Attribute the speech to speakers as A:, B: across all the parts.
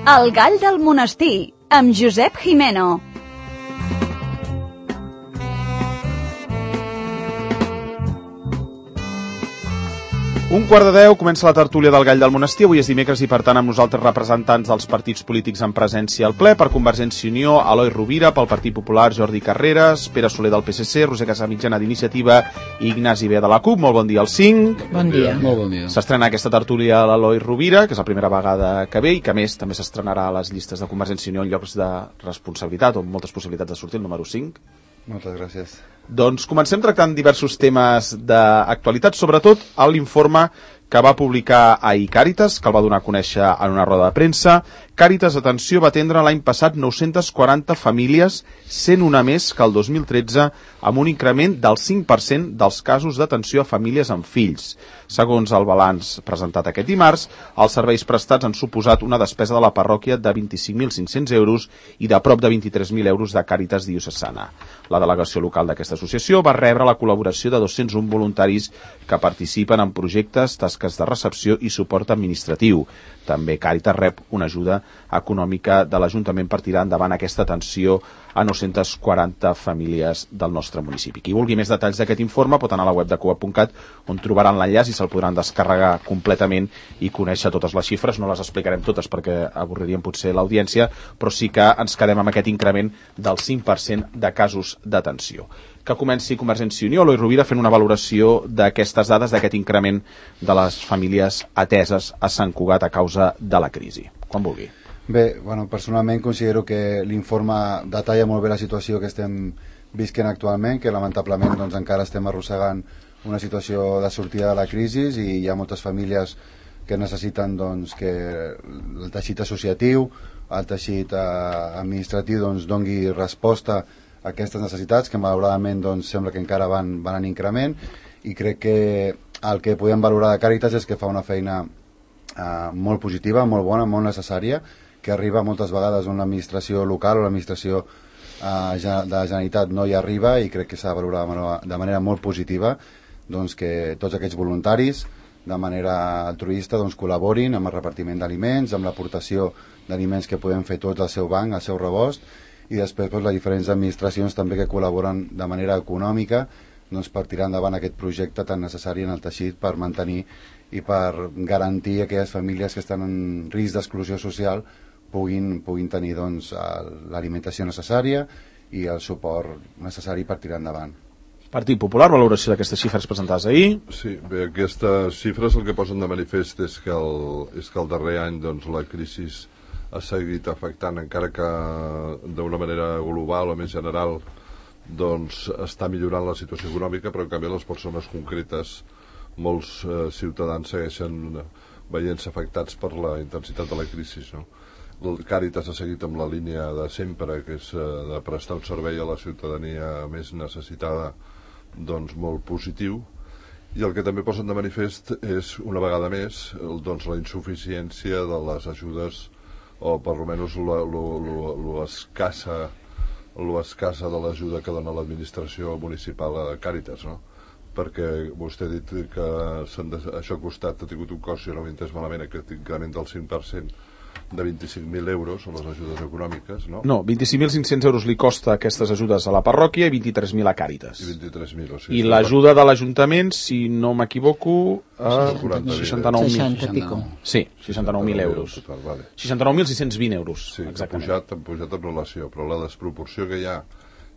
A: El gall del monestir, amb Josep Jimeno.
B: Un quart de 10, comença la tertúlia del Gall del Monestir. Avui és dimecres i, per tant, amb nosaltres representants dels partits polítics en presència al ple. Per Convergència i Unió, Eloi Rovira; pel Partit Popular, Jordi Carreras; Pere Soler del PSC; Roser Casamitjana d'Iniciativa i Ignasi B de la CUP. Molt bon dia als 5.
C: Bon dia.
D: Molt bon dia.
B: S'estrena aquesta tertúlia a l'Eloi Rovira, que és la primera vegada que ve i que, a més, també s'estrenarà a les llistes de Convergència i Unió en llocs de responsabilitat o amb moltes possibilitats de sortir, el número 5.
C: Moltes gràcies.
B: Doncs comencem tractant diversos temes d'actualitat, sobretot l'informe que va publicar ahir Càritas, que el va donar a conèixer en una roda de premsa. Càritas, atenció, va atendre l'any passat 940 famílies, 101 més que el 2013, amb un increment del 5% dels casos d'atenció a famílies amb fills. Segons el balanç presentat aquest dimarts, els serveis prestats han suposat una despesa de la parròquia de 25.500 euros i de prop de 23.000 euros de Càritas diocesana. La delegació local d'aquesta associació va rebre la col·laboració de 201 voluntaris que participen en projectes, tasques de recepció i suport administratiu. També Càritas rep una ajuda econòmica de l'Ajuntament per tirar endavant aquesta atenció a 940 famílies del nostre municipi. Qui vulgui més detalls d'aquest informe pot anar a la web de coop.cat, on trobaran l'enllaç i se'l podran descarregar completament i conèixer totes les xifres. No les explicarem totes perquè avorriríem potser l'audiència, però sí que ens quedem amb aquest increment del 5% de casos d'atenció. Que comenci Convergència i Unió, Eloi Rovira, fent una valoració d'aquestes dades, d'aquest increment de les famílies ateses a Sant Cugat a causa de la crisi. Quan vulgui.
C: Bé, personalment considero que l'informe detalla molt bé la situació que estem visquent actualment, que lamentablement encara estem arrossegant una situació de sortida de la crisi i hi ha moltes famílies que necessiten que el teixit associatiu, el teixit administratiu doni resposta a aquestes necessitats, que malauradament sembla que encara van en increment, i crec que el que podem valorar de Càritas és que fa una feina molt positiva, molt bona, molt necessària, que arriba moltes vegades on l'administració local o l'administració de la Generalitat no hi arriba, i crec que s'ha de valorar de manera molt positiva que tots aquests voluntaris de manera altruista col·laborin amb el repartiment d'aliments, amb l'aportació d'aliments que podem fer tots al seu banc, al seu rebost, i després les diferents administracions també que col·laboren de manera econòmica per tirar endavant aquest projecte tan necessari en el teixit per mantenir i per garantir que aquelles famílies que estan en risc d'exclusió social puguin tenir l'alimentació necessària i el suport necessari per tirar endavant.
B: Partit Popular, valoració d'aquestes xifres presentades ahir.
D: Sí, bé, aquestes xifres el que posen de manifest és que el darrer any la crisi ha seguit afectant, encara que d'una manera global o més general està millorant la situació econòmica, però en canvi les persones concretes, molts ciutadans segueixen veient-se afectats per la intensitat de la crisi, no? El Càritas ha seguit amb la línia de sempre, que és de prestar un servei a la ciutadania més necessitada, molt positiu, i el que també posen de manifest és, una vegada més, la insuficiència de les ajudes, o per almenys l'escassa de l'ajuda que dona l'administració municipal a Càritas, no? Perquè vostè ha dit que això ha tingut un cost, si no m'he entès malament, aquest increment del 5% de 25.000 euros a les ajudes econòmiques, no?
B: No, 25.500 euros li costa aquestes ajudes a la parròquia i 23.000 a Càritas.
D: I 23.000, o sigui...
B: I l'ajuda de l'Ajuntament, si no m'equivoco,
E: 60 i pico.
B: Sí, 69.000 euros. 69.620 euros,
D: sí,
B: exactament.
D: Han pujat en relació, però la desproporció que hi ha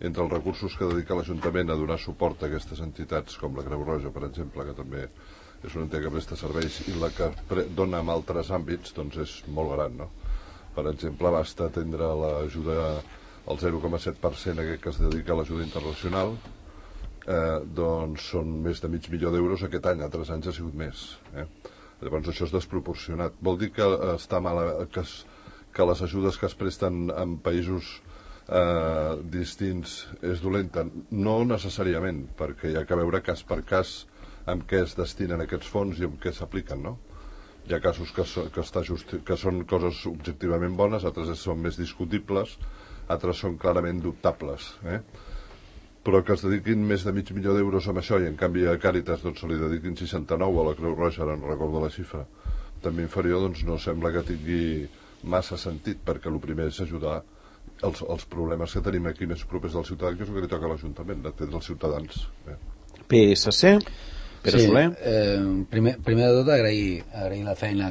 D: entre els recursos que dedica l'Ajuntament a donar suport a aquestes entitats, com la Creu Roja, per exemple, que també és una entitat que presta serveis, i la que dona en altres àmbits, és molt gran, no? Per exemple, basta atendre l'ajuda al 0,7% aquest que es dedica a l'ajuda internacional, són més de $500.000 d'euros aquest any, altres anys ha sigut més. Llavors això és desproporcionat. Vol dir que està mal, que les ajudes que es presten en països distints és dolenta? No necessàriament, perquè hi ha que veure cas per cas amb què es destinen aquests fons i amb què s'apliquen, no? Hi ha casos que són coses objectivament bones, altres són més discutibles, altres són clarament dubtables, però que es dediquin més de $500.000 d'euros amb això i en canvi a Càritas se li dediquin 69, a la Creu Roja, no recordo la xifra, també inferior, no sembla que tingui massa sentit, perquè el primer és ajudar els problemes que tenim aquí més propers del ciutadà, que és el que li toca a l'Ajuntament, d'atendre els ciutadans.
B: PSC, Pere Soler.
F: Primer de tot agrair la feina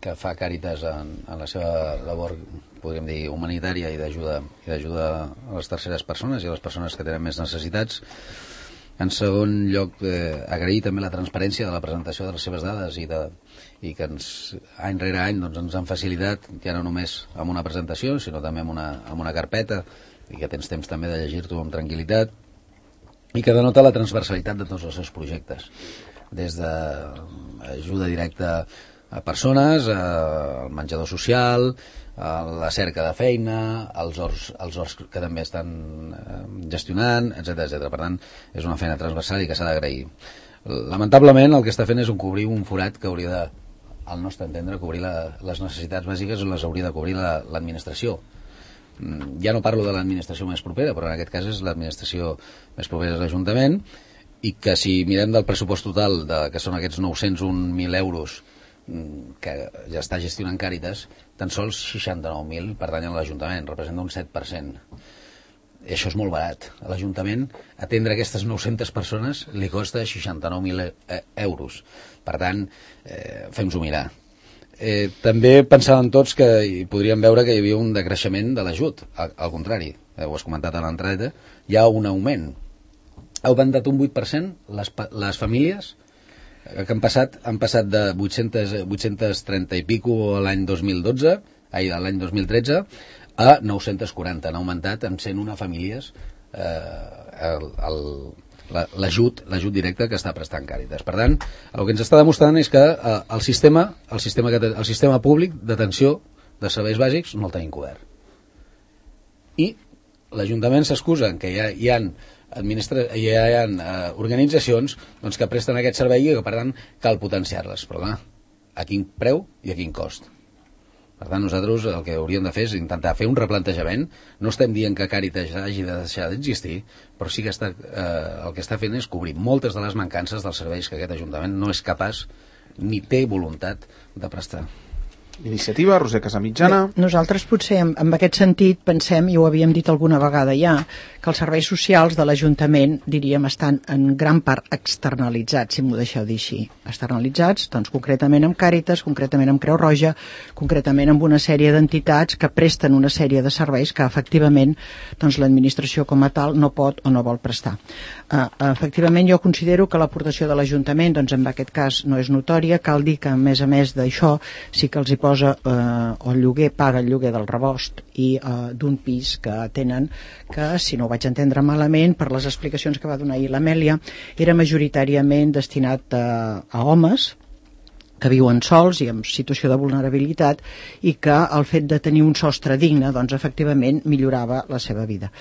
F: que fa Càritas en la seva labor, podríem dir, humanitària i d'ajuda a les terceres persones i a les persones que tenen més necessitats. En segon lloc, agrair també la transparència de la presentació de les seves dades i que any rere any ens han facilitat, ja no només amb una presentació, sinó també amb una carpeta, i que tens temps també de llegir-t'ho amb tranquil·litat, i que denota la transversalitat de tots els seus projectes, des d'ajuda directa a persones, al menjador social, a la cerca de feina, als horts que també estan gestionant, etc. Per tant, és una feina transversal i que s'ha d'agrair. Lamentablement, el que està fent és cobrir un forat que hauria de, al nostre entendre, cobrir les necessitats bàsiques, les hauria de cobrir l'administració. Ja no parlo de l'administració més propera, però en aquest cas és l'administració més propera és l'Ajuntament, i que si mirem del pressupost total, que són aquests 901.000 euros que ja està gestionant Càritas, tan sols 69.000 pertanyen a l'Ajuntament, representa un 7%. I això és molt barat. A l'Ajuntament atendre aquestes 900 persones li costa 69.000 euros. Per tant, fem-s'ho mirar. També pensàvem tots que podríem veure que hi havia un decreixement de l'ajut. Al contrari, ho has comentat a l'entrada, hi ha un augment. Ha augmentat un 8% les famílies que han passat de 830 i pico l'any 2012, l'any 2013, a 940. Han augmentat en 101 famílies l'ajut directe que està prestant Càritas. Per tant, el que ens està demostrant és que el sistema públic d'atenció de serveis bàsics no el tenim cobert. I l'Ajuntament s'excusa que hi ha organitzacions que presten aquest servei i que, per tant, cal potenciar-les. Però, clar, a quin preu i a quin cost? Per tant, nosaltres el que hauríem de fer és intentar fer un replantejament. No estem dient que Càritas hagi de deixar d'existir, però sí que el que està fent és cobrir moltes de les mancances dels serveis que aquest Ajuntament no és capaç ni té voluntat de prestar.
B: Iniciativa, Roser Casamitjana.
E: Bé, nosaltres potser en aquest sentit pensem, i ho havíem dit alguna vegada ja, que els serveis socials de l'Ajuntament, diríem, estan en gran part externalitzats, si m'ho deixeu dir així. Externalitzats, doncs, concretament amb Càritas, concretament amb Creu Roja, concretament amb una sèrie d'entitats que presten una sèrie de serveis que efectivament doncs, l'administració com a tal no pot o no vol prestar. Efectivament, jo considero que l'aportació de l'Ajuntament, doncs en aquest cas no és notòria. Cal dir que a més d'això sí que els hi posa el lloguer, paga el lloguer del rebost i d'un pis que tenen, que si no ho vaig entendre malament per les explicacions que va donar ahir l'Amèlia, era majoritàriament destinat a homes que viuen sols i en situació de vulnerabilitat, i que el fet de tenir un sostre digne doncs efectivament millorava la seva vida.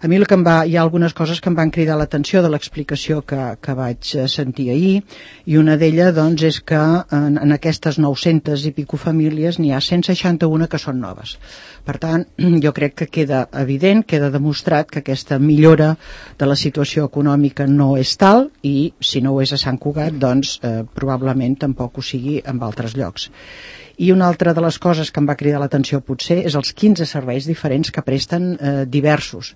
E: A mi hi ha algunes coses que em van cridar l'atenció de l'explicació que vaig sentir ahir, i una d'elles doncs, és que en aquestes 900 i pico famílies n'hi ha 161 que són noves. Per tant, jo crec que queda evident, queda demostrat que aquesta millora de la situació econòmica no és tal, i si no ho és a Sant Cugat, doncs probablement tampoc ho sigui en altres llocs. I una altra de les coses que em va cridar l'atenció potser és els 15 serveis diferents que presten diversos.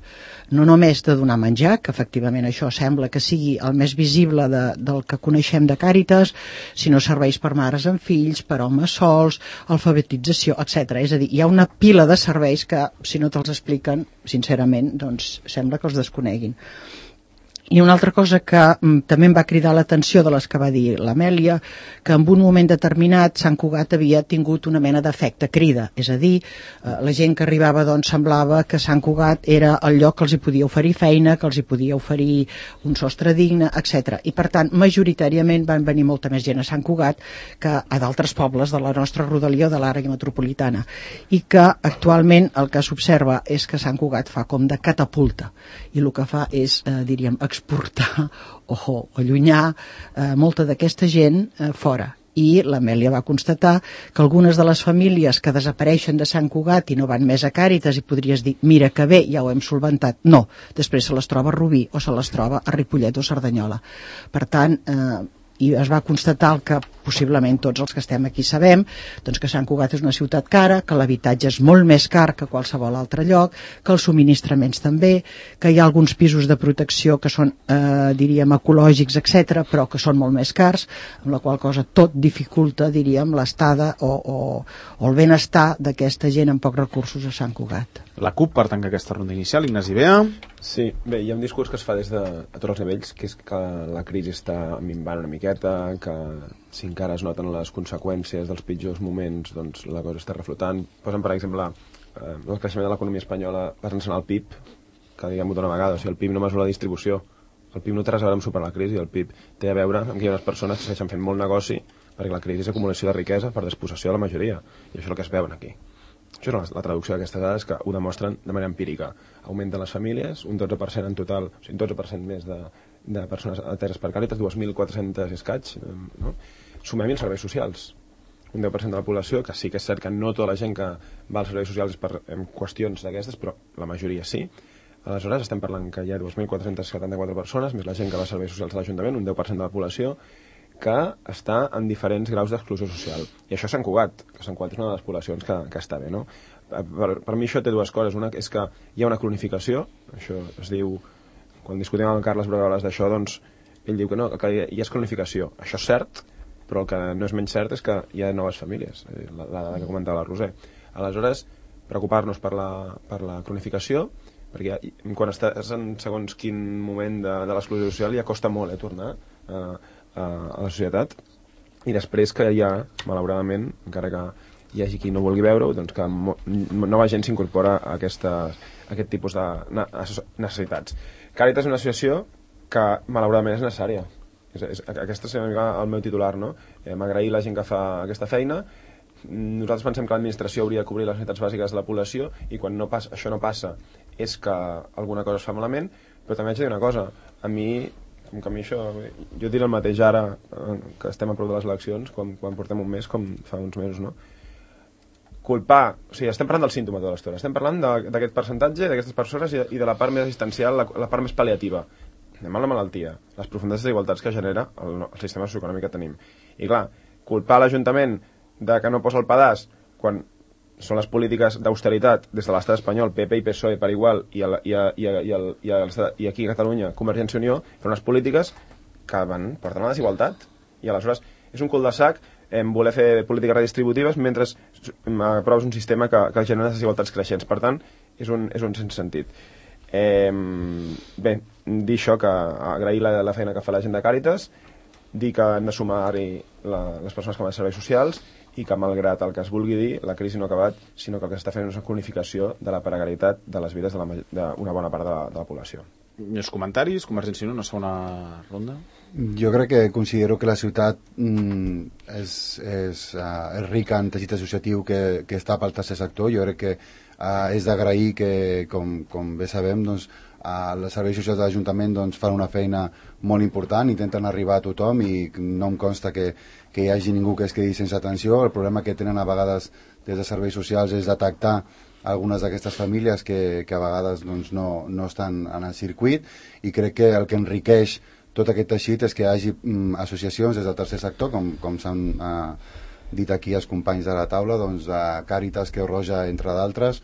E: No només de donar menjar, que efectivament això sembla que sigui el més visible del que coneixem de Càritas, sinó serveis per mares amb fills, per homes sols, alfabetització, etc. És a dir, hi ha una pila de serveis que, si no te'ls expliquen, sincerament, doncs sembla que els desconeguin. I una altra cosa que també em va cridar l'atenció de les que va dir l'Amèlia, que en un moment determinat Sant Cugat havia tingut una mena d'efecte crida, és a dir, la gent que arribava doncs semblava que Sant Cugat era el lloc que els hi podia oferir feina, que els hi podia oferir un sostre digne, etc. I per tant, majoritàriament van venir molta més gent a Sant Cugat que a d'altres pobles de la nostra rodalia o de l'àrea metropolitana, i que actualment el que s'observa és que Sant Cugat fa com de catapulta, i el que fa és, diríem, exportar o allunyar molta d'aquesta gent fora. I l'Amèlia va constatar que algunes de les famílies que desapareixen de Sant Cugat i no van més a Càritas, i podries dir, mira que bé, ja ho hem solventat. No, després se les troba a Rubí o se les troba a Ripollet o Cerdanyola. Per tant, i es va constatar el que possiblement tots els que estem aquí sabem, doncs que Sant Cugat és una ciutat cara, que l'habitatge és molt més car que qualsevol altre lloc, que els subministraments també, que hi ha alguns pisos de protecció que són, diríem, ecològics, etc, però que són molt més cars, amb la qual cosa tot dificulta, diríem, l'estada o el benestar d'aquesta gent amb pocs recursos a Sant Cugat.
B: La CUP, per tancar aquesta ronda inicial, Ignasi Bea.
G: Sí, bé, hi ha un discurs que es fa des de a tots els nivells, que és que la crisi està minvant una miqueta, que si encara es noten les conseqüències dels pitjors moments, doncs la cosa està reflotant. Posen, per exemple, el creixement de l'economia espanyola basant-se en el PIB, que diguem-ho d'una vegada, o sigui, el PIB no mesura la distribució, el PIB no té res a veure amb superar la crisi, el PIB té a veure amb que hi ha unes persones que segueixen fent molt negoci, perquè la crisi és acumulació de riquesa per despossessió de la majoria, i això és el que es veuen aquí. Això és la traducció d'aquestes dades que ho demostren de manera empírica. Augmenten les famílies, un 12% en total, o sigui, un 12% més de persones ateses per Càritas, 2.400 escaig, no? Sumem-hi els serveis socials. Un 10% de la població, que sí que és cert que no tota la gent que va als serveis socials és per qüestions d'aquestes, però la majoria sí. Aleshores estem parlant que hi ha 2.474 persones, més la gent que va als serveis socials de l'Ajuntament, un 10% de la població, que està en diferents graus d'exclusió social. I això és Sant Cugat, que Sant Cugat és una de les poblacions que està bé, no? Per mi això té dues coses. Una és que hi ha una cronificació, això es diu, quan discutim amb el Carles Bregoles d'això, doncs ell diu que no, que hi ha cronificació. Això és cert, però el que no és menys cert és que hi ha noves famílies, la dada que comentava la Roser. Aleshores, preocupar-nos per la cronificació, perquè quan estàs en segons quin moment de l'exclusió social ja costa molt tornar a la societat, i després que hi ha, malauradament, encara que hi hagi qui no vulgui veure-ho, doncs que nova gent s'incorpora a aquest tipus de necessitats. Càritas és una associació que malauradament és necessària. Aquesta és el meu titular, no? M'agrair la gent que fa aquesta feina. Nosaltres pensem que l'administració hauria de cobrir les necessitats bàsiques de la població, i quan això no passa és que alguna cosa es fa malament. Però també haig de dir una cosa, a mi això, jo diré el mateix ara que estem a prop de les eleccions, quan portem un mes, com fa uns mesos, no? Culpar, o sigui, estem parlant del símptoma tota l'estona, estem parlant d'aquest percentatge, d'aquestes persones i de la part més assistencial, la part més pal·liativa. Anem a la malaltia, les profundes desigualtats que genera el sistema socioeconòmic que tenim. I clar, culpar l'Ajuntament de que no posa el pedaç quan són les polítiques d'austeritat des de l'estat espanyol, PP i PSOE per igual, i aquí a Catalunya Convergència i Unió, per unes polítiques que porten a la desigualtat, i aleshores és un cul de sac voler fer polítiques redistributives mentre aproves un sistema que genera desigualtats creixents. Per tant, és un sense sentit. Bé, dir això, que agrair la feina que fa la gent de Càritas, dir que han de sumar-hi les persones que van a serveis socials, i que malgrat el que es vulgui dir, la crisi no ha acabat, sinó que el que s'està fent és una cronificació de la precarietat de les vides d'una bona part de la població.
B: Més comentaris? Convergència i Unió, una segona ronda?
C: Jo crec que considero que la ciutat és rica en teixit associatiu que està pel tercer sector. Jo crec que és d'agrair que, com bé sabem, doncs, els serveis socials de l'Ajuntament doncs, fan una feina molt important, intenten arribar a tothom, i no em consta que hi hagi ningú que es quedi sense atenció. El problema que tenen a vegades des de serveis socials és detectar algunes d'aquestes famílies que a vegades doncs, no estan en el circuit, i crec que el que enriqueix tot aquest teixit és que hi hagi associacions des del tercer sector, com s'han dit aquí els companys de la taula, doncs, Càritas, Creu Roja, entre d'altres,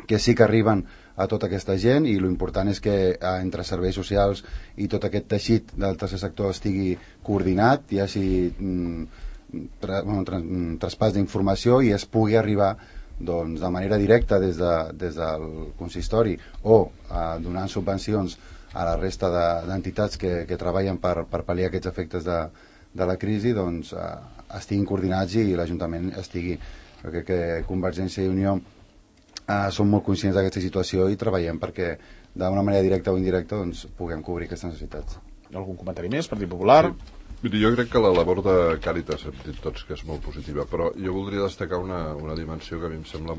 C: que sí que arriben a tota aquesta gent, i l'important és que entre serveis socials i tot aquest teixit del tercer sector estigui coordinat, hi hagi traspàs d'informació i es pugui arribar doncs, de manera directa des del consistori o donant subvencions a la resta d'entitats que treballen per pal·liar aquests efectes de la crisi, doncs estiguin coordinats i l'Ajuntament estigui. Jo crec que Convergència i Unió som molt conscients d'aquesta situació i treballem perquè d'una manera directa o indirecta doncs, puguem cobrir aquestes necessitats.
B: Algun comentari més, Partit Popular?
D: Sí. Jo crec que la labor de Càritas hem dit tots que és molt positiva, però jo voldria destacar una dimensió que a mi em sembla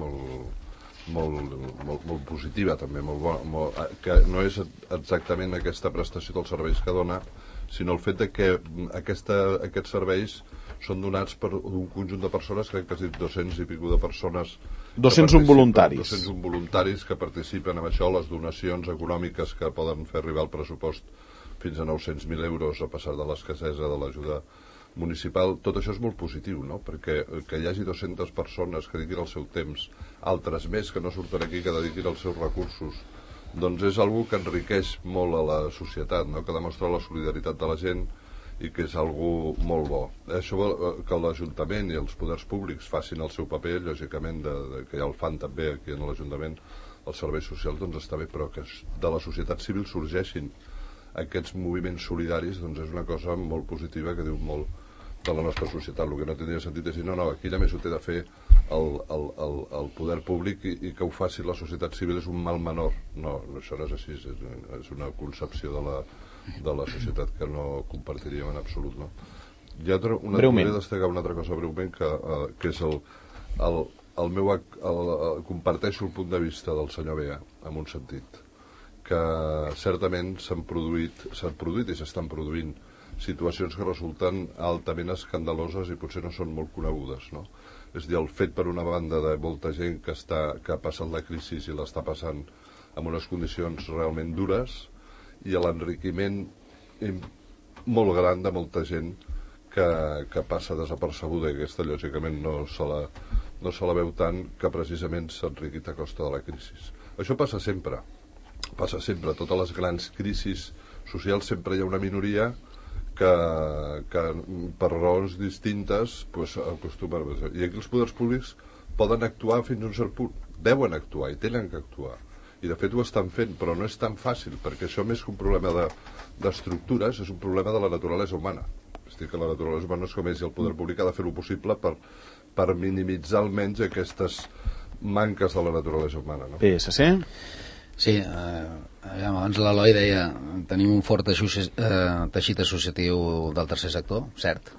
D: molt positiva també, molt bona, que no és exactament aquesta prestació dels serveis que dona, sinó el fet de que aquests serveis són donats per un conjunt de persones, crec que has dit 200 i pico de persones,
B: 201 voluntaris.
D: 201 voluntaris que participen en això, les donacions econòmiques que poden fer arribar al pressupost fins a 900.000 euros a passar de l'escassesa de l'ajuda municipal. Tot això és molt positiu, no? Perquè que hi hagi 200 persones que dediquin el seu temps, altres més que no surten aquí, que dediquin els seus recursos, doncs és algo que enriqueix molt a la societat, no? Que demostra la solidaritat de la gent i que és algo molt bo. Això que l'Ajuntament i els poders públics facin el seu paper, lògicament, que ja el fan també aquí en l'Ajuntament, els serveis socials, doncs està bé, però que de la societat civil sorgeixin aquests moviments solidaris, doncs és una cosa molt positiva que diu molt de la nostra societat. El que no tindria sentit és dir, no, aquí només ho té de fer el poder públic i que ho faci la societat civil és un mal menor. No, això no és així, és una concepció de la societat que no compartiríem en absolut, no? Hi ha volia destacar una altra cosa breument, que és el meu... comparteixo el punt de vista del senyor Bea, en un sentit, que certament s'han produït i s'estan produint situacions que resulten altament escandaloses i potser no són molt conegudes, no? És a dir, el fet per una banda de molta gent que ha passat la crisi i l'està passant en unes condicions realment dures, i l'enriquiment molt gran de molta gent que passa desapercebuda, i aquesta lògicament no se la veu tant, que precisament s'ha enriquit a costa de la crisi. Això passa sempre. Totes les grans crisis socials sempre hi ha una minoria que per raons distintes acostuma a... I aquí els poders públics poden actuar fins a un cert punt, deuen actuar i tenen que actuar, i de fet ho estan fent, però no és tan fàcil, perquè això més que un problema d'estructures és un problema de la naturalesa humana. És a dir, que la naturalesa humana és com és, i el poder públic ha de fer-ho possible per minimitzar almenys aquestes manques de la naturalesa humana, no?
B: PSC?
F: Sí, abans l'Eloi deia tenim un fort teixit associatiu del tercer sector, cert,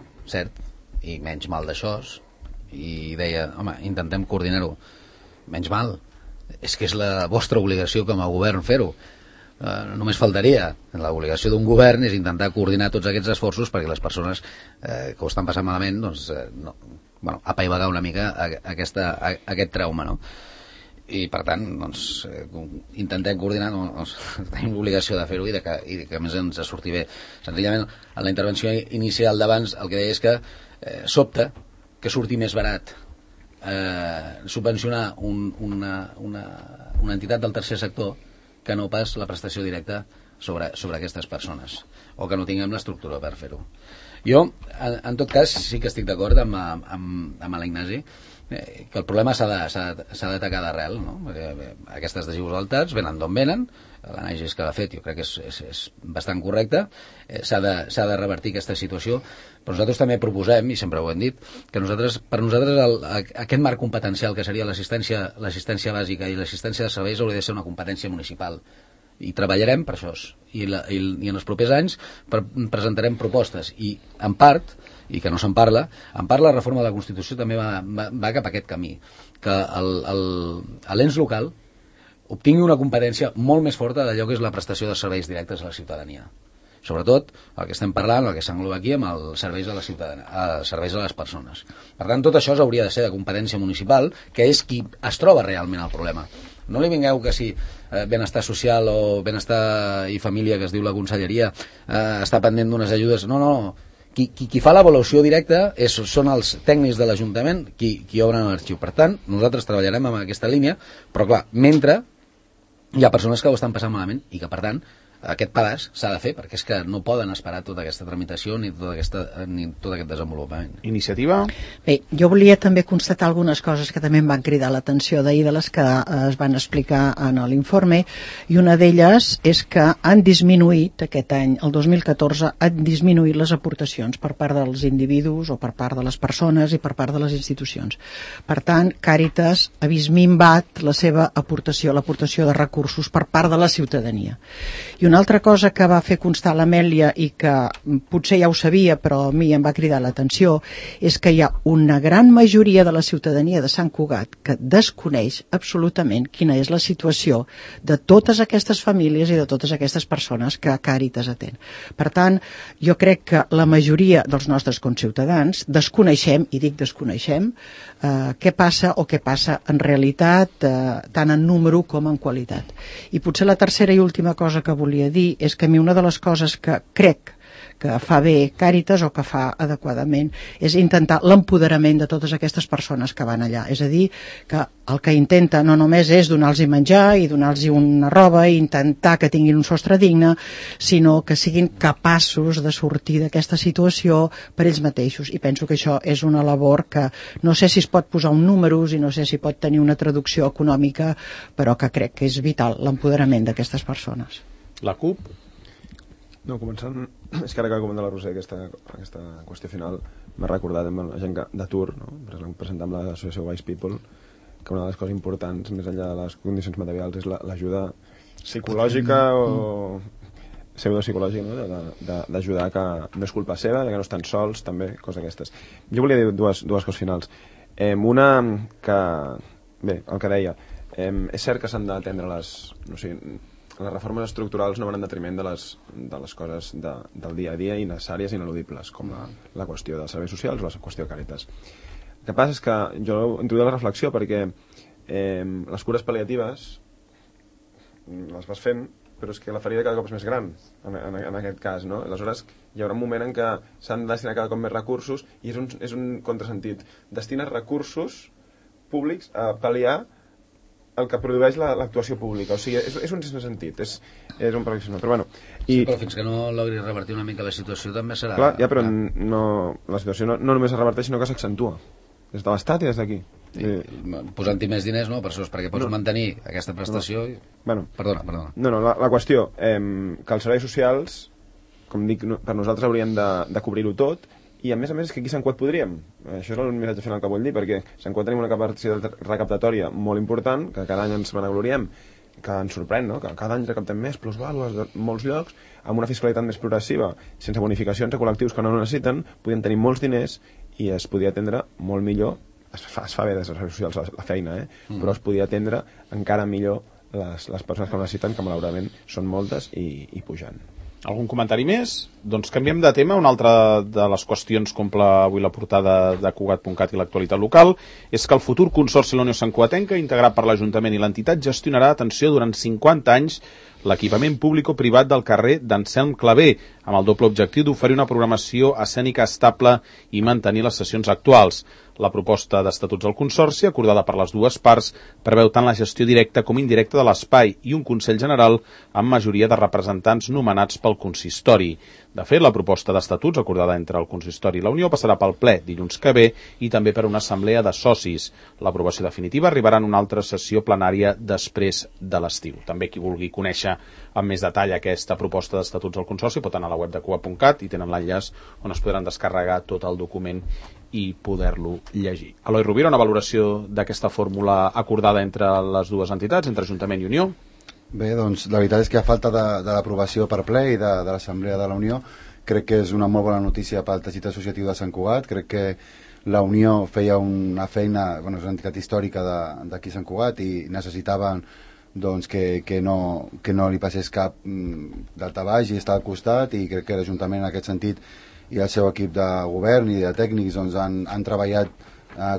F: i menys mal d'això, i deia, home, intentem coordinar-ho. Menys mal, és que és la vostra obligació com a govern fer-ho. Només faltaria. L'obligació d'un govern és intentar coordinar tots aquests esforços perquè les persones que ho estan passant malament, doncs, apaivagar una mica aquest trauma, no? I per tant, doncs, intentem coordinar, doncs, tenim l'obligació de fer-ho i que a més ens surti bé. Senzillament, en la intervenció inicial d'abans el que deia és que sobta que surti més barat subvencionar una entitat del tercer sector que no pas la prestació directa sobre aquestes persones, o que no tinguem l'estructura per fer-ho. Jo, en tot cas, sí que estic d'acord amb l'Ignasi, que el problema s'ha d'atacar d'arrel, no? Aquestes desigualtats venen d'on venen, l'anàlisi que l'ha fet jo crec que és bastant correcta, s'ha de revertir aquesta situació, però nosaltres també proposem, i sempre ho hem dit, que per nosaltres aquest marc competencial que seria l'assistència bàsica i l'assistència de serveis hauria de ser una competència municipal, i treballarem per això, i en els propers anys presentarem propostes, i en part, i que no se'n parla, la reforma de la Constitució també va cap a aquest camí, que l'ens local obtingui una competència molt més forta d'allò que és la prestació de serveis directes a la ciutadania. Sobretot el que estem parlant, el que s'engloba aquí, amb els serveis a la ciutadania, serveis a les persones. Per tant, tot això hauria de ser de competència municipal, que és qui es troba realment el problema. No li vingueu que si benestar social o benestar i família, que es diu la conselleria, està pendent d'unes ajudes. No. Qui fa l'avaluació directa són els tècnics de l'Ajuntament qui obren l'arxiu. Per tant, nosaltres treballarem amb aquesta línia, però clar, mentre hi ha persones que ho estan passant malament i que, per tant, aquest pedaç s'ha de fer, perquè és que no poden esperar tota aquesta tramitació ni tot aquest desenvolupament.
B: Iniciativa?
E: Bé, jo volia també constatar algunes coses que també em van cridar l'atenció d'ahir, de les que es van explicar en l'informe, i una d'elles és que han disminuït aquest any, el 2014, han disminuït les aportacions per part dels individus o per part de les persones i per part de les institucions. Per tant, Càritas ha vist minvat la seva aportació, l'aportació de recursos per part de la ciutadania. I una altra cosa que va fer constar l'Amèlia i que potser ja ho sabia però a mi em va cridar l'atenció és que hi ha una gran majoria de la ciutadania de Sant Cugat que desconeix absolutament quina és la situació de totes aquestes famílies i de totes aquestes persones que Càritas atén. Per tant, jo crec que la majoria dels nostres conciutadans desconeixem, i dic desconeixem, què passa o què passa en realitat, tant en número com en qualitat. I potser la tercera i última cosa que volia volia dir és que a mi una de les coses que crec que fa bé Càritas o que fa adequadament és intentar l'empoderament de totes aquestes persones que van allà, és a dir, que el que intenta no només és donar-los menjar i donar-los una roba i intentar que tinguin un sostre digne, sinó que siguin capaços de sortir d'aquesta situació per ells mateixos, i penso que això és una labor que no sé si es pot posar un números i no sé si pot tenir una traducció econòmica, però que crec que és vital l'empoderament d'aquestes persones.
B: La CUP?
G: No, començant, és que ara que ha comentat la Roser aquesta qüestió final m'ha recordat amb la gent d'atur, no? Presentant amb l'associació Wise People, que una de les coses importants, més enllà de les condicions materials, és l'ajuda psicològica o pseudopsicològica, no? D'ajudar, que no és culpa seva, que no estan sols, també, coses aquestes. Jo volia dir dues coses finals. Una, que, bé, el que deia, és cert que s'han d'atendre les reformes estructurals no van en detriment de les coses del dia a dia i necessàries i ineludibles, com la qüestió dels serveis socials o la qüestió de Càritas. El que passa és que jo introduïa la reflexió perquè les cures pal·liatives les vas fent, però és que la ferida cada cop és més gran en aquest cas, no? Aleshores hi haurà un moment en què s'han de destinar cada cop més recursos i és un contrasentit. Destines recursos públics a pal·liar el que produeix l'actuació pública, o sigui, és un sentit, és un perfeccionament, però bueno...
F: Sí, però fins que no logri revertir una mica la situació també serà...
G: Clar, ja, però la situació no només es reverteix, sinó que s'accentua, des de l'Estat i des d'aquí.
F: Posant-hi més diners, no?, per això, perquè pots mantenir aquesta prestació...
G: Bueno,
F: perdona.
G: No, la qüestió, que els serveis socials, com dic, per nosaltres haurien de cobrir-ho tot, i a més és que aquí a Sant Cugat podríem, això és el missatge final que vull dir, perquè a Sant Cugat tenim una capacitat recaptatòria molt important, que cada any ens vanagloriem, que ens sorprèn, no? Que cada any recaptem més plusvàlues de molts llocs, amb una fiscalitat més progressiva, sense bonificacions a col·lectius que no necessiten, podien tenir molts diners i es podia atendre molt millor, es fa bé des dels serveis socials la feina, però es podia atendre encara millor les persones que ho necessiten, que malauradament són moltes i pujant.
B: Algun comentari més? Doncs canviem de tema. Una altra de les qüestions que omple avui la portada de Cugat.cat i l'actualitat local és que el futur Consorci La Unió Santcugatenca, integrat per l'Ajuntament i l'entitat, gestionarà, atenció, durant 50 anys l'equipament públic o privat del carrer d'Anselm Clavé, amb el doble objectiu d'oferir una programació escènica estable i mantenir les sessions actuals. La proposta d'estatuts del Consorci, acordada per les dues parts, preveu tant la gestió directa com indirecta de l'espai i un Consell General amb majoria de representants nomenats pel consistori. De fet, la proposta d'estatuts, acordada entre el consistori i la Unió, passarà pel ple dilluns que ve i també per una assemblea de socis. L'aprovació definitiva arribarà en una altra sessió plenària després de l'estiu. També qui vulgui conèixer amb més detall aquesta proposta d'estatuts del Consorci pot anar a la web de Cugat.cat i tenen l'enllaç on es podran descarregar tot el document i poder-lo llegir. Eloi Rovira, una valoració d'aquesta fórmula acordada entre les dues entitats, entre Ajuntament i Unió?
C: Bé, doncs la veritat és que a falta de l'aprovació per ple i de l'Assemblea de la Unió, crec que és una molt bona notícia pel teixit associatiu de Sant Cugat. Crec que la Unió feia una feina, és una entitat històrica d'aquí Sant Cugat i necessitaven doncs, que no li passés cap daltabaix i estar al costat, i crec que l'Ajuntament en aquest sentit i el seu equip de govern i de tècnics doncs, han treballat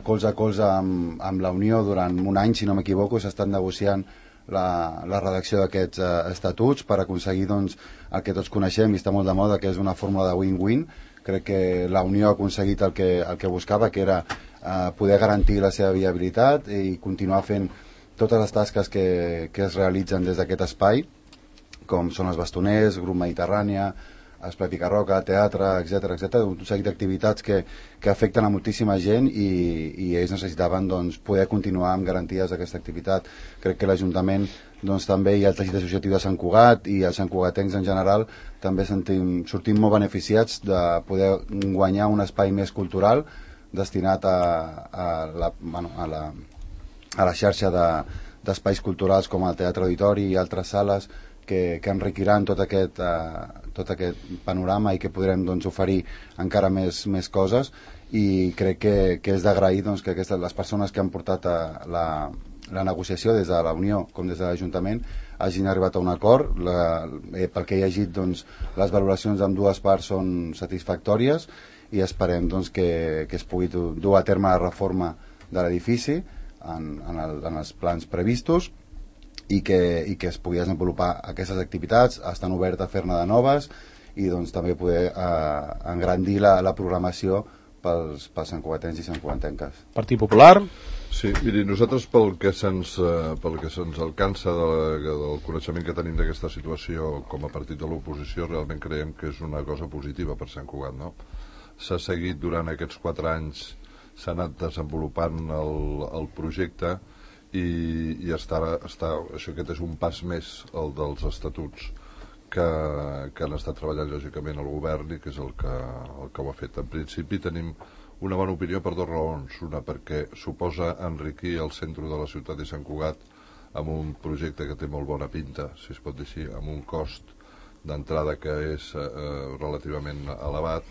C: colze a colze amb la Unió durant un any, si no m'equivoco. S'ha estat negociant la redacció d'aquests estatuts per aconseguir doncs, el que tots coneixem i està molt de moda, que és una fórmula de win-win. Crec que la Unió ha aconseguit el que buscava, que era poder garantir la seva viabilitat i continuar fent totes les tasques que es realitzen des d'aquest espai, com són els bastoners, grup Mediterrània, Espai Picarroca, teatre, etc., un seguit d'activitats que afecten a moltíssima gent i ells necessitaven doncs, poder continuar amb garanties d'aquesta activitat. Crec que l'Ajuntament doncs, també i el teixit associatiu de Sant Cugat i els santcugatencs en general també sortim molt beneficiats de poder guanyar un espai més cultural destinat a la xarxa d'espais culturals com el Teatre Auditori i altres sales que enriquiran tot aquest panorama i que podrem doncs, oferir encara més coses, i crec que és d'agrair doncs, que les persones que han portat la negociació des de la Unió com des de l'Ajuntament hagin arribat a un acord. Pel que he llegit, doncs, les valoracions amb dues parts són satisfactòries i esperem doncs, que es pugui dur a terme la reforma de l'edifici en els plans previstos i que es pugui desenvolupar aquestes activitats, estan obertes a fer-ne de noves i doncs també poder engrandir la programació pels santcugatencs i santcugatenques.
B: Partit Popular?
D: Sí, miri, nosaltres pel que se'ns alcança del coneixement que tenim d'aquesta situació com a partit de l'oposició, realment creiem que és una cosa positiva per Sant Cugat, no? S'ha seguit durant aquests 4 anys, s'ha anat desenvolupant el projecte i això aquest és un pas més, el dels estatuts que han estat treballant lògicament el govern i que és el que ho ha fet. En principi tenim una bona opinió per 2 raons. Una, perquè suposa enriquir el centre de la ciutat de Sant Cugat amb un projecte que té molt bona pinta, si es pot dir així, amb un cost d'entrada que és relativament elevat,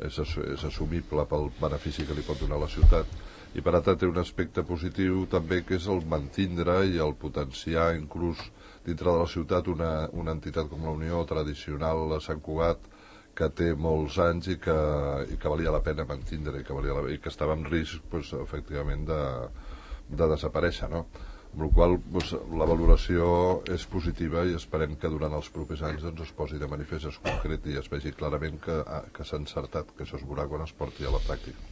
D: és assumible pel benefici que li pot donar a la ciutat, i per altra té un aspecte positiu també, que és el mantindre i el potenciar inclús dintre de la ciutat una entitat com la Unió tradicional a Sant Cugat, que té molts anys i que valia la pena mantindre i que estava en risc efectivament de desaparèixer, no? Amb la qual cosa la valoració és positiva i esperem que durant els propers anys es posi de manifest, es concreti i es vegi clarament que s'ha encertat, que això es veurà quan es porti a la pràctica.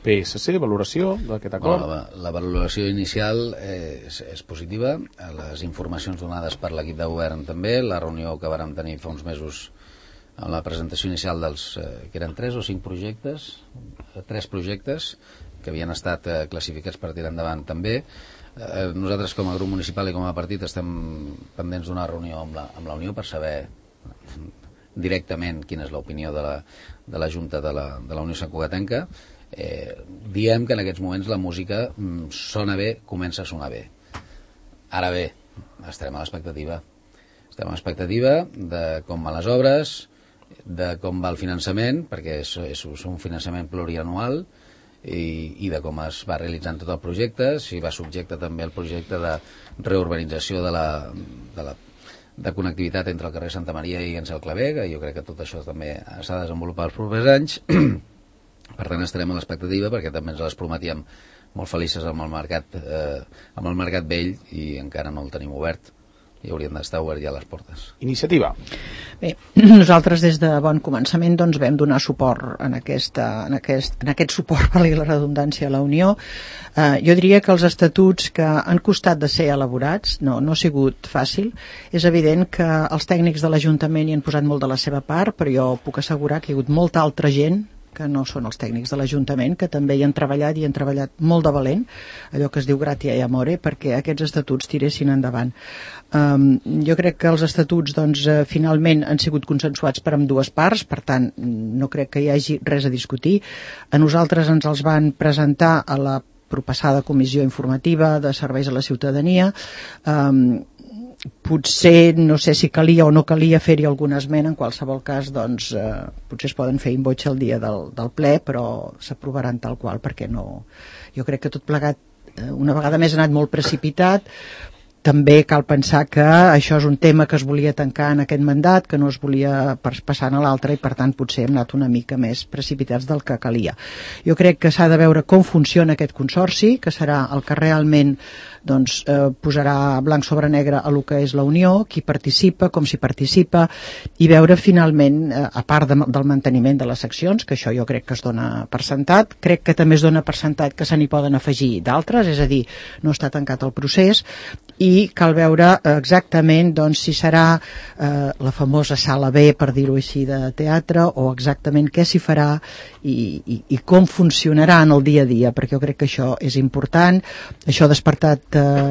B: PSC, valoració d'aquest acord?
F: La valoració inicial és positiva, les informacions donades per l'equip de govern també, la reunió que vàrem tenir fa uns mesos amb la presentació inicial que eren 3 o 5 projectes, 3 projectes que havien estat classificats per tirar endavant també. Nosaltres com a grup municipal i com a partit estem pendents d'una reunió amb la Unió per saber directament quina és l'opinió de la Junta de la Unió Santcugatenca. Diem que en aquests moments la música sona bé, comença a sonar bé. Ara bé, estarem a l'expectativa de com van les obres, de com va el finançament, perquè és un finançament plurianual, i de com es va realitzant tot el projecte, si va subjecte també al projecte de reurbanització de connectivitat entre el carrer Santa Maria i Ansel Clavé, que jo crec que tot això també s'ha de desenvolupar els propers anys. Per tant, estarem a l'expectativa, perquè també ens les prometíem molt felices amb el mercat vell, i encara no el tenim obert, i haurien d'estar obert ja les portes.
B: Iniciativa.
E: Bé, nosaltres des de bon començament doncs, vam donar suport en aquest suport, valgui la redundància, a la Unió. Jo diria que els estatuts que han costat de ser elaborats no ha sigut fàcil. És evident que els tècnics de l'Ajuntament hi han posat molt de la seva part, però jo puc assegurar que hi ha hagut molta altra gent que no són els tècnics de l'Ajuntament, que també hi han treballat i han treballat molt de valent, allò que es diu gratia i amore, perquè aquests estatuts tiressin endavant. Jo crec que els estatuts finalment han sigut consensuats per ambdues parts, per tant no crec que hi hagi res a discutir. A nosaltres ens els van presentar a la propassada comissió informativa de serveis a la ciutadania. Potser no sé si calia o no calia fer-hi alguna esmena, en qualsevol cas potser es poden fer in voce el dia del ple, però s'aprovaran tal qual, perquè no, jo crec que tot plegat una vegada més ha anat molt precipitat. També cal pensar que això és un tema que es volia tancar en aquest mandat, que no es volia passar a l'altre, i per tant potser hem anat una mica més precipitats del que calia. Jo crec que s'ha de veure com funciona aquest consorci, que serà el que realment posarà blanc sobre negre a lo que és la Unió, qui participa, com s'hi participa, i veure finalment, a part del manteniment de les seccions, que això jo crec que es dona per sentat, crec que també es dona per sentat que se n'hi poden afegir d'altres, és a dir, no està tancat el procés, i cal veure exactament si serà la famosa sala B, per dir-ho així, de teatre, o exactament què s'hi farà i com funcionarà en el dia a dia, perquè jo crec que això és important. Això ha despertat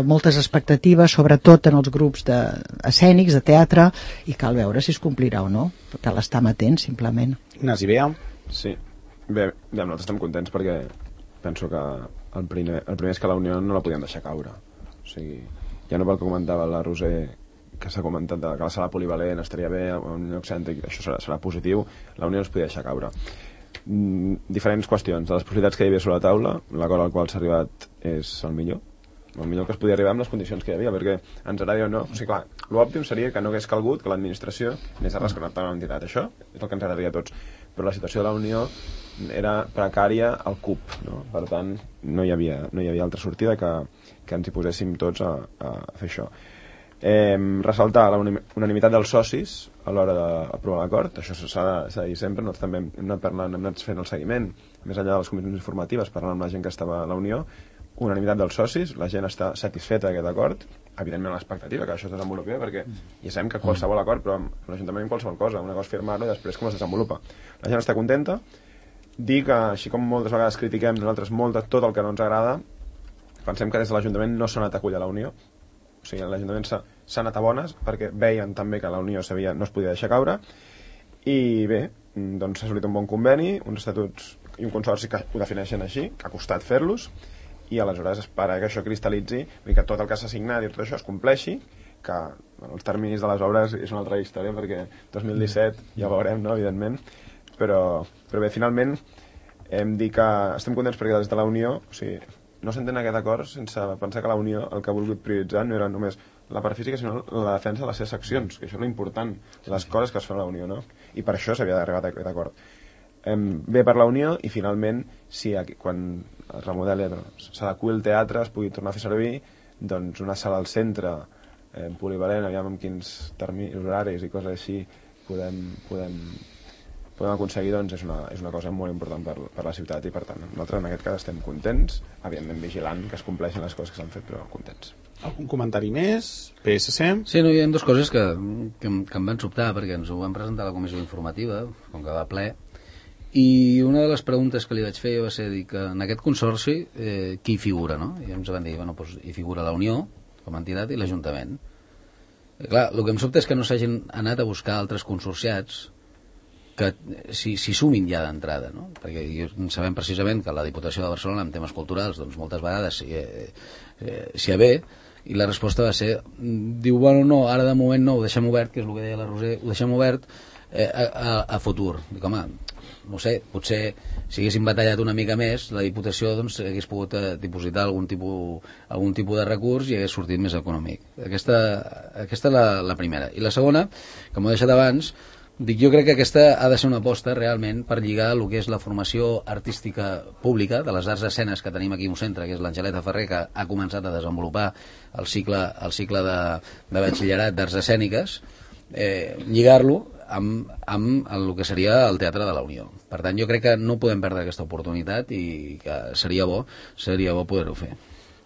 E: moltes expectatives, sobretot en els grups escènics, de teatre, i cal veure si es complirà o no. Cal estar amatent, simplement.
B: Ignasi Bea.
G: Sí, bé, nosaltres estem contents perquè penso que el primer és que la Unió no la podíem deixar caure. O sigui, ja no pel que comentava la Roser, que s'ha comentat que la sala polivalent estaria bé, un lloc cèntric, això serà positiu, la Unió no es podia deixar caure. Diferents qüestions. De les possibilitats que hi havia sobre la taula, l'acord al qual s'ha arribat és el millor que es podia arribar amb les condicions que hi havia, perquè ens agradi o no, o sigui, clar, l'òptim seria que no hagués calgut que l'administració anés a rescatar una entitat. Això és el que ens agradaria a tots, però la situació de la Unió era precària al CUP, no? Per tant no hi havia altra sortida que ens hi poséssim tots a fer això. ressaltar la unanimitat dels socis a l'hora d'aprovar l'acord. Això s'ha de dir sempre. Nosaltres també hem anat fent el seguiment, més enllà de les comissions informatives, parlant amb la gent que estava a la Unió. Unanimitat dels socis, la gent està satisfeta d'aquest acord, evidentment l'expectativa que això es desenvolupi, perquè ja sabem que qualsevol acord, però amb l'Ajuntament qualsevol cosa, una cosa és firmar-lo i després com es desenvolupa. La gent està contenta. Dir que, així com moltes vegades critiquem nosaltres tot el que no ens agrada, pensem que des de l'Ajuntament no s'ha anat a acollir a la Unió. O sigui, l'Ajuntament s'ha anat a bones perquè veien també que la Unió no es podia deixar caure, i bé, doncs s'ha assolit un bon conveni, uns estatuts i un consorci que ho defineixen així, que ha costat fer-los, i aleshores espera que això cristal·litzi, que tot el que s'ha signat i tot això es compleixi, que els terminis de les obres és una altra història, perquè 2017 ja ho veurem, no?, evidentment, però bé, finalment hem dit que estem contents perquè des de la Unió, o sigui, no s'entén aquest acord sense pensar que la Unió el que ha volgut prioritzar no era només la part física, sinó la defensa de les seves seccions, que això és l'important, les coses que es fan a la Unió, no? I per això s'havia d'arribar a aquest acord. Bé per la Unió, i finalment, si quan es remodeli, s'adequi el teatre, es pugui tornar a fer servir, doncs una sala al centre, polivalent, aviam amb quins terminis, horaris i coses així podem aconseguir, doncs és una cosa molt important per la ciutat, i per tant nosaltres en aquest cas estem contents, evidentment vigilant que es compleixin les coses que s'han fet, però contents.
B: Algun comentari més? PSC?
F: Sí, no, hi ha dues coses que em van sobtar, perquè ens ho van presentar a la comissió informativa, com que va ple, i una de les preguntes que li vaig fer va ser dir que en aquest consorci qui hi figura, no? I ens van dir, bueno, doncs hi figura la Unió com a entitat i l'Ajuntament. Clar, el que em sobta és que no s'hagin anat a buscar altres consorciats que s'hi sumin ja d'entrada, no? Perquè sabem precisament que la Diputació de Barcelona en temes culturals doncs moltes vegades s'hi ve, i la resposta va ser, diu, bueno, no, ara de moment no, ho deixem obert, que és el que deia la Roser, ho deixem obert a futur. Dic, home, no sé, potser si haguéssim batallat una mica més, la Diputació doncs hagués pogut dipositar algun tipus de recurs i hagués sortit més econòmic. Aquesta és la primera. I la segona, que m'ho he deixat abans, dic, jo crec que aquesta ha de ser una aposta realment per lligar el que és la formació artística pública de les arts escenes que tenim aquí a un centre, que és l'Angeleta Ferrer, que ha començat a desenvolupar el cicle de batxillerat d'arts escèniques, lligar-lo amb el que seria el Teatre de la Unió. Per tant, jo crec que no podem perdre aquesta oportunitat i que seria bo poder-ho fer.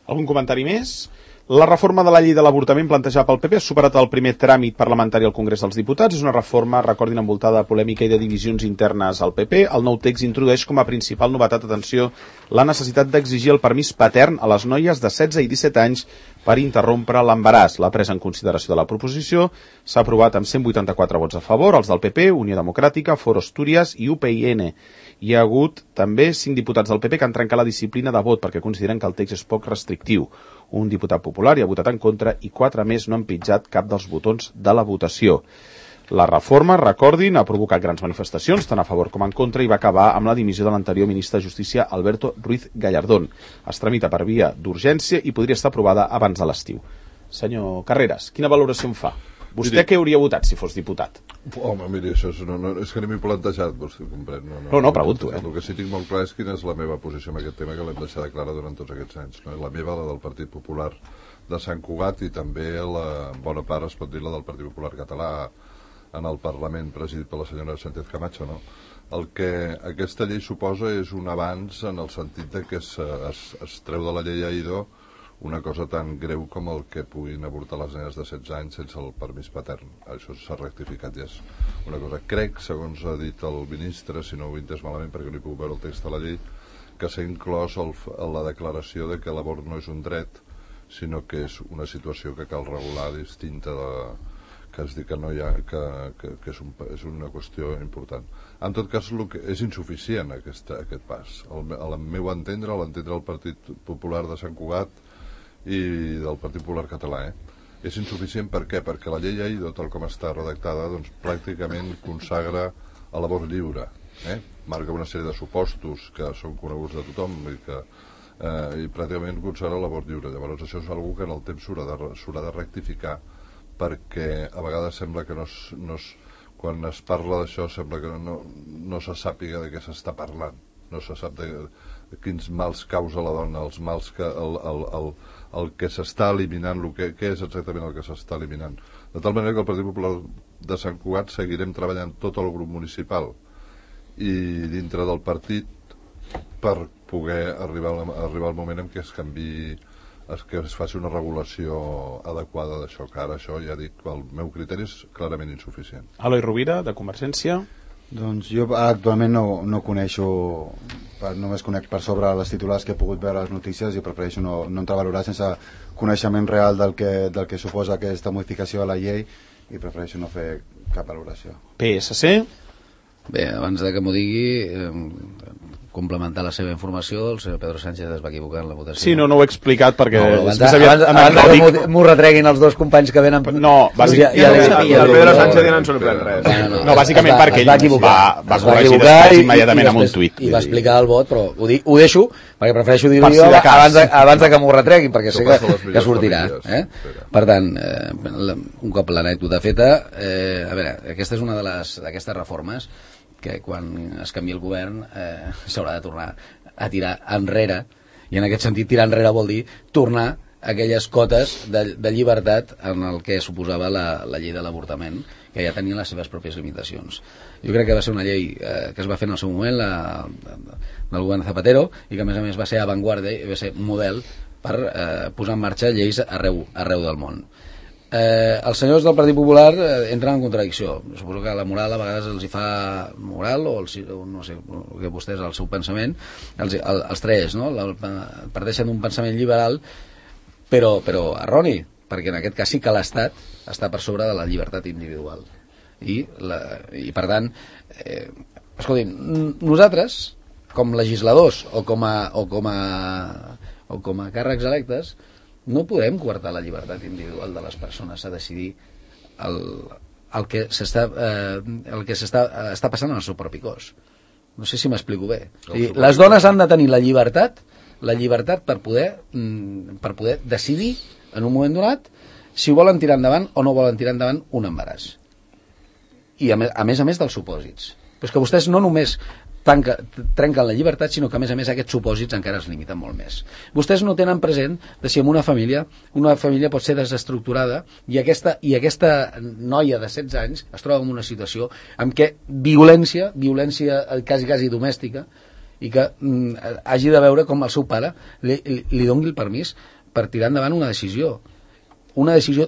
B: Algun comentari més? La reforma de la llei de l'avortament plantejada pel PP ha superat el primer tràmit parlamentari al Congrés dels Diputats. És una reforma, recordin, envoltada de polèmica i de divisions internes al PP. El nou text introdueix com a principal novetat, atenció, la necessitat d'exigir el permís patern a les noies de 16 i 17 anys per interrompre l'embaràs. La presa en consideració de la proposició s'ha aprovat amb 184 vots a favor, els del PP, Unió Democràtica, Foro Astúries i UPyN. Hi ha hagut també 5 diputats del PP que han trencat la disciplina de vot perquè consideren que el text és poc restrictiu. Un diputat popular hi ha votat en contra i 4 més no han pitjat cap dels botons de la votació. La reforma, recordin, ha provocat grans manifestacions, tant a favor com en contra, i va acabar amb la dimissió de l'anterior ministre de Justícia, Alberto Ruiz Gallardón. Es tramita per via d'urgència i podria estar aprovada abans de l'estiu. Senyor Carreras, quina valoració en fa? Vostè què hauria votat si fos diputat?
D: Home, miri, això és que ni m'he plantejat, vostè comprèn.
B: No, pregunto,
D: El que sí tinc molt clar és quina és la meva posició en aquest tema, que l'hem deixat clara durant tots aquests anys. No? La meva, la del Partit Popular de Sant Cugat, i també la bona part, es pot dir, la del Partit Popular català en el Parlament, presidit per la senyora Sánchez Camacho. No? El que aquesta llei suposa és un avanç en el sentit de que es treu de la llei AIDO una cosa tan greu com el que puguin avortar les nenes de 16 anys sense el permís patern. Això s'ha rectificat, ja és una cosa. Crec, segons ha dit el ministre, si no ho he entès malament perquè no he pogut veure el text de la llei, que s'ha inclòs la declaració de que l'avort no és un dret, sinó que és una situació que cal regular distinta que es diu que no hi ha, que és una qüestió important. En tot cas, és insuficient aquest pas. Al meu entendre, l'entendre el Partit Popular de Sant Cugat i del Partit Popular català, és insuficient. Per què? Perquè la llei AIDO, tal com està redactada, doncs pràcticament consagra a l'avort lliure, marca una sèrie de supostos que són coneguts de tothom i pràcticament consagra l'avort lliure. Llavors això és una cosa que en el temps s'haurà de rectificar, perquè a vegades sembla que quan es parla d'això sembla que no se sàpiga de què s'està parlant, no se sap de quins mals causa la dona, els mals que el que s'està eliminant, què és exactament el que s'està eliminant. De tal manera que el Partit Popular de Sant Cugat seguirem treballant tot el grup municipal i dintre del partit per poder arribar al moment en què es canviï, que es faci una regulació adequada d'això, que ara això, ja dic, el meu criteri és clarament insuficient.
B: Eloi Rovira, de Convergència.
C: Doncs jo actualment no coneixo, només conec per sobre les titulars que he pogut veure a les notícies i prefereixo no entravalorar sense coneixement real del que suposa aquesta modificació de la llei i prefereixo no fer cap valoració.
B: PSC.
F: Bé, abans de que m'ho digui, complementar la seva informació, el senyor Pedro Sánchez es va equivocar en la votació.
B: Sí, no ho he explicat perquè...
F: Abans que m'ho retreguin els dos companys que venen...
B: No, bàsicament...
G: El Pedro Sánchez ja no en sorprèn res.
B: No, bàsicament perquè ell va corregir després immediatament amb un tuit.
F: I va explicar el vot, però ho deixo, perquè prefereixo dir-ho jo abans que m'ho retreguin, perquè sé que sortirà. Per tant, un cop l'anècdota feta, a veure, aquesta és una d'aquestes reformes que quan es canvia el govern s'haurà de tornar a tirar enrere, i en aquest sentit tirar enrere vol dir tornar a aquelles cotes de llibertat en el que suposava la llei de l'avortament, que ja tenia les seves pròpies limitacions. Jo crec que va ser una llei que es va fer en el seu moment del govern Zapatero i que a més va ser avantguarda i va ser un model per posar en marxa lleis arreu del món. Els senyors del Partit Popular entren en contradicció. Suposo que la moral a vegades els hi fa moral, o no sé, el que vostès, el seu pensament, els tres, no? Parteixen d'un pensament liberal, però erroni, perquè en aquest cas sí que l'Estat està per sobre de la llibertat individual. I per tant, escoltin, nosaltres, com legisladors o com a càrrecs electes, no podem coartar la llibertat individual de les persones a decidir el que està passant en el seu propi cos. No sé si m'explico bé. Les dones han de tenir la llibertat per poder decidir en un moment donat si volen tirar endavant o no volen tirar endavant un embaràs. I a més dels supòsits. Però és que vostès no només trenquen la llibertat, sinó que a més aquests supòsits encara es limiten molt més. Vostès no tenen present de si en una família pot ser desestructurada i aquesta noia de 16 anys es troba en una situació en què violència quasi domèstica, i que hagi de veure com el seu pare li doni el permís per tirar endavant una decisió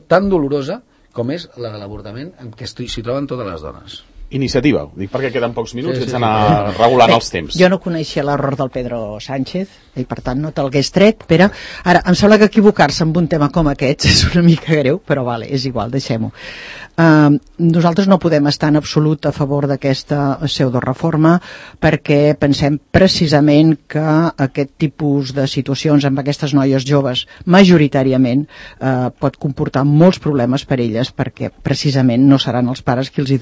F: tan dolorosa com és la de l'avortament, en què s'hi troben totes les dones.
B: Iniciativa, ho dic perquè queden pocs minuts sense anar regulant els temps.
E: Jo no coneixia l'error del Pedro Sánchez i per tant no te'lgués tret, Pere. Ara, em sembla que equivocar-se amb un tema com aquest és una mica greu, però vale, és igual, deixem-ho. Nosaltres no podem estar en absolut a favor d'aquesta pseudoreforma perquè pensem precisament que aquest tipus de situacions amb aquestes noies joves majoritàriament pot comportar molts problemes per elles, perquè precisament no seran els pares qui els hi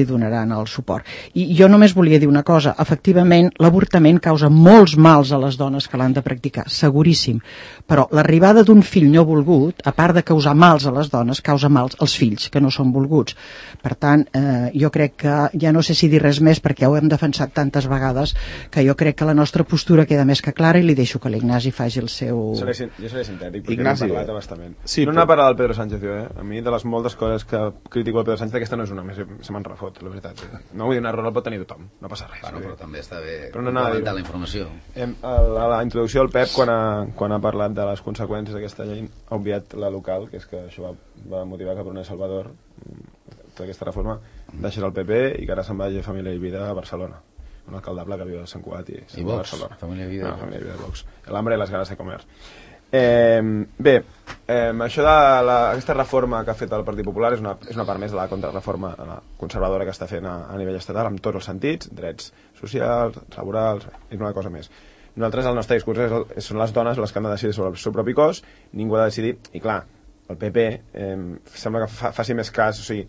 E: donaran el suport. I jo només volia dir una cosa, efectivament l'avortament causa molts mals a les dones que l'han de practicar, seguríssim, però l'arribada d'un fill no volgut, a part de causar mals a les dones, causa mals als fills que no són volguts. Per tant, jo crec que ja no sé si dir res més perquè ja ho hem defensat tantes vegades que jo crec que la nostra postura queda més que clara i li deixo que l'Ignasi faci el seu...
G: Jo seré sintètic perquè
B: Ignasi,
G: no he parlat bastament.
B: Sí,
G: no n'ha parlat del Pedro Sánchez, jo, A mi, de les moltes coses que critico el Pedro Sánchez, aquesta no és una, se me'n refot, la veritat. No vull dir, un error el pot tenir tothom, no passa res.
F: Però també està bé
G: complementar
F: la informació.
G: A la introducció del Pep, quan ha parlat de les conseqüències d'aquesta llei, ha obviat la local, que és que això va motivar que Brunei Salvador, tota aquesta reforma, deixés el PP i que ara se'n vagi a Família i Vida a Barcelona. Un alcaldable que viu a Sant Cugat i
F: se'n va a Barcelona. Família i Vida.
G: Família i Vida de Vox. L'hambre i les ganes de comer. Això d'aquesta reforma que ha fet el Partit Popular és una part més de la contrarreforma conservadora que està fent a nivell estatal en tots els sentits, drets socials, laborals i una cosa més. Nosaltres, el nostre discurs són les dones les que han de decidir sobre el seu propi cos, ningú ha de decidir, i clar, el PP sembla que faci més cas, o sigui,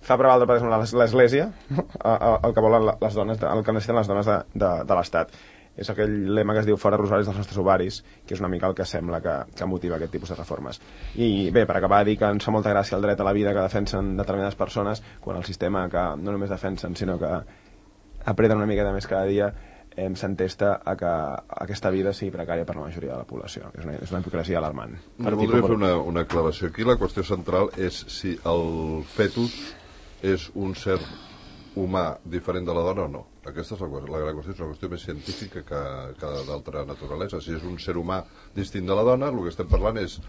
G: fa prevaldre per exemple l'església el que volen les dones, el que necessiten les dones de l'Estat. És aquell lema que es diu fora rosaris dels nostres ovaris, que és una mica el que sembla que motiva aquest tipus de reformes. I bé, per acabar, dir que ens fa molta gràcia el dret a la vida que defensen determinades persones, quan el sistema que no només defensen, sinó que apreten una miqueta més cada dia, s'entesta a que aquesta vida sigui precària per la majoria de la població. És una hipocresia alarmant.
D: Voldria fer una aclaració aquí. La qüestió central és si el fetus és un ser humà diferent de la dona o no. Aquesta és la gran qüestió, és una qüestió més científica que d'altra naturalesa. Si és un ser humà distint de la dona, el que estem parlant és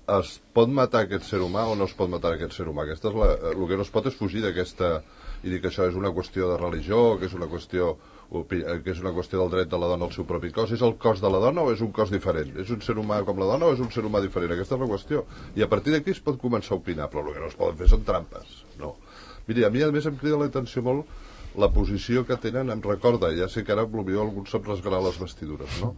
D: es pot matar aquest ser humà o no es pot matar aquest ser humà. El que no es pot és fugir d'aquesta i dir que això és una qüestió de religió, que és una qüestió del dret de la dona al seu propi cos. És el cos de la dona o és un cos diferent? És un ser humà com la dona o és un ser humà diferent? Aquesta és la qüestió. I a partir d'aquí es pot començar a opinar, però el que no es poden fer són trampes. No. Miri, a mi a més em crida l'atenció molt la posició que tenen, em recorda, ja sé que ara potser algú sap rasgar les vestidures, no?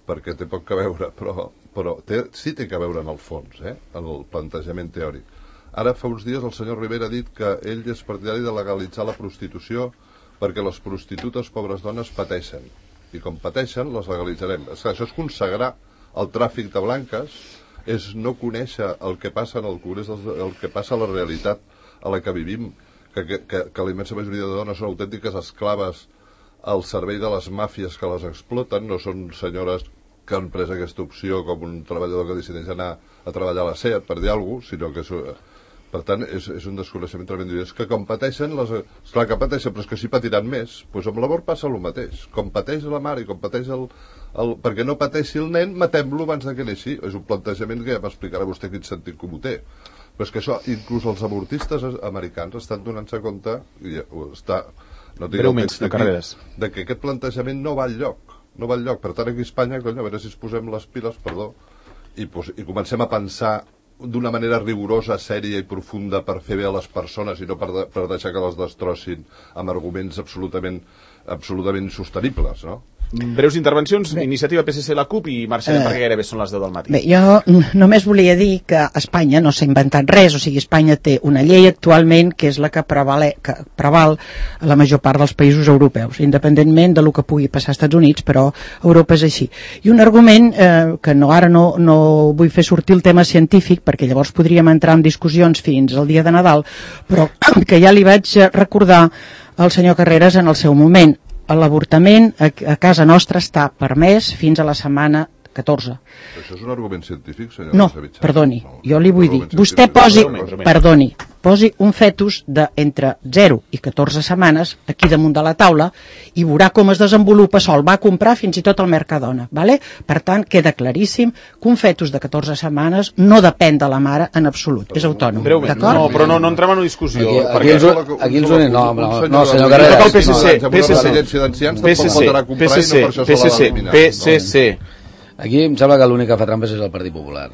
D: Perquè té poc que veure, però sí té que veure en el fons, en el plantejament teòric. Ara fa uns dies el senyor Rivera ha dit que ell és partidari de legalitzar la prostitució perquè les prostitutes, pobres dones, pateixen. I com pateixen, les legalitzarem. Això és consagrar el tràfic de blanques, és no conèixer el que passa en el Congrés, el que passa a la realitat a la que vivim, que la immensa majoria de dones són autèntiques esclaves al servei de les màfies que les exploten, no són senyores que han pres aquesta opció com un treballador que decideix anar a treballar a la SEAT, per dir alguna cosa, sinó que per tant és un desconeixement tremend. És que com pateixen, clar que pateixen, però és que si patiran més, doncs amb l'amor passa el mateix. Com pateix la mare i com pateix perquè no pateixi el nen, matem-lo abans que neixi. És un plantejament que ja m'explicarà vostè quin sentit comú té. Però és que això, inclús els avortistes americans estan donant-se compte, no tinc el text aquí, de que aquest plantejament no va enlloc. No va enlloc. Per tant, aquí a Espanya, a veure si es posem les piles, i comencem a pensar d'una manera rigorosa, sèria i profunda per fer bé a les persones i no per deixar que les destrossin amb arguments absolutament insostenibles, no?
B: Breus intervencions, Iniciativa PSC, la CUP, i marxarem perquè gairebé són les 10 del matí.
E: Bé, jo només volia dir que Espanya no s'ha inventat res, o sigui, Espanya té una llei actualment que és la que preval a la major part dels països europeus, independentment del que pugui passar als Estats Units, però Europa és així. I un argument que ara no vull fer sortir el tema científic, perquè llavors podríem entrar en discussions fins al dia de Nadal, però que ja li vaig recordar al senyor Carreras en el seu moment. L'avortament a casa nostra està permès fins a la setmana 14.
D: Això és un argument científic, senyor?
E: No, perdoni, jo li vull dir, vostè posi un fetus d'entre 0 i 14 setmanes aquí damunt de la taula i veurà com es desenvolupa sol. Va comprar fins i tot al Mercadona, ¿vale? Per tant, queda claríssim que un fetus de 14 setmanes no depèn de la mare en absolut, és autònom, d'acord?
B: No, però no entrem en una discussió.
F: Aquí els unen, no, senyor Carreras.
B: PSC.
F: Aquí em sembla que l'únic que fa trampes és el Partit Popular,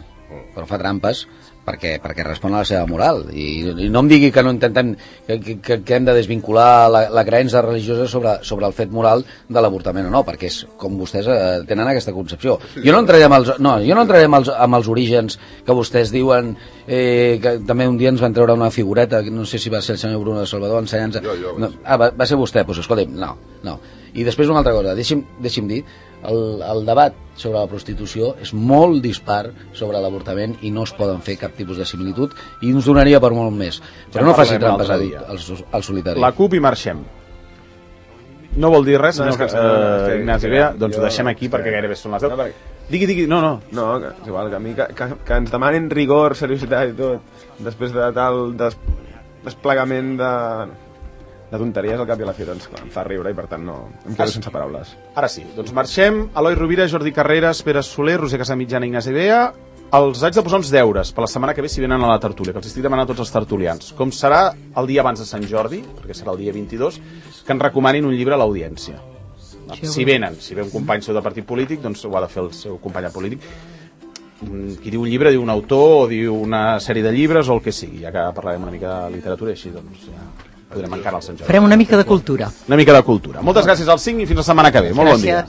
F: però fa trampes perquè respon a la seva moral i no em digui que no intentem que hem de desvincular la creença religiosa sobre el fet moral de l'avortament o no, perquè és com vostès tenen aquesta concepció. Jo no entraré amb els orígens que vostès diuen que també un dia ens van treure una figureta, no sé si va ser el senyor Bruno de Salvador ensenyant-se. Va ser vostè, doncs escolti'm, no. I després una altra cosa, deixi'm dir, el debat sobre la prostitució és molt dispar sobre l'avortament i no es poden fer cap tipus de similitud i ens donaria per molt més. Però no faci trampes al solitari.
B: La CUP i marxem. No vol dir res, senyor Ignasi Bea? Doncs ho deixem aquí perquè gairebé són les 10. Digui, no.
G: No, és igual, que a mi que ens demanin rigor, seriositat i tot, després de tal desplegament de tonteries al cap i a la fi, doncs em fa riure i per tant no em quedo sense paraules.
B: Ara sí, doncs marxem. Eloi Rovira, Jordi Carreras, Pere Soler, Roser Casamitjana, Ignasi Bea. Els haig de posar uns deures per la setmana que ve si venen a la tertúlia, que els estic demanant a tots els tertulians. Com serà el dia abans de Sant Jordi, perquè serà el dia 22, que ens recomanin un llibre a l'audiència. Si ve un company seu de partit polític, doncs ho ha de fer el seu company polític. Qui diu un llibre diu un autor o diu una sèrie de llibres o el que sigui, ja que parlarem una mica de literatura i així doncs ja podrem encarar el Sant Jordi.
E: Farem una mica de cultura.
B: Moltes gràcies als 5 i fins la setmana que ve. Molt bon dia.